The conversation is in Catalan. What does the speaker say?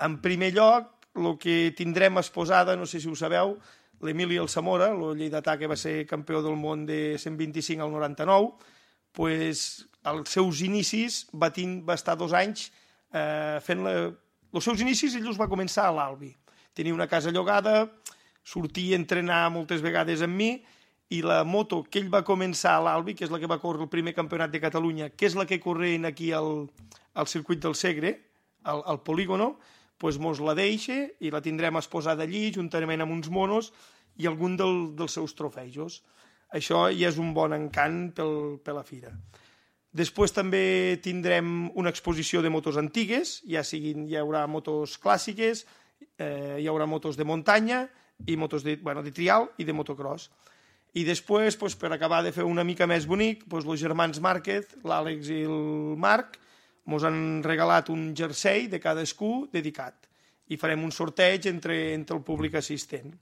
En primer lloc, el que tindrem exposada, no sé si ho sabeu, l'Emili Alsamora, el lleidatà que va ser campió del món de 125 al 99, pues, als seus inicis va estar 2 anys fent els seus inicis. Ell els va començar a l'Albi. Tenia una casa llogada, sortia a entrenar moltes vegades amb mi, i la moto que ell va començar a l'Albi, que és la que va córrer el primer campionat de Catalunya, que és la que corrent aquí al circuit del Segre, al polígono, doncs mos la deixa i la tindrem exposada allí, juntament amb uns monos i algun dels seus trofejos. Això ja és un bon encant per la fira. Després també tindrem una exposició de motos antigues, hi haurà motos clàssiques, hi haurà motos de muntanya i motos de trial i de motocross. I després, per acabar de fer una mica més bonic, els germans Márquez, l'Àlex i el Marc, ens han regalat un jersei de cadascú dedicat i farem un sorteig entre el públic assistent.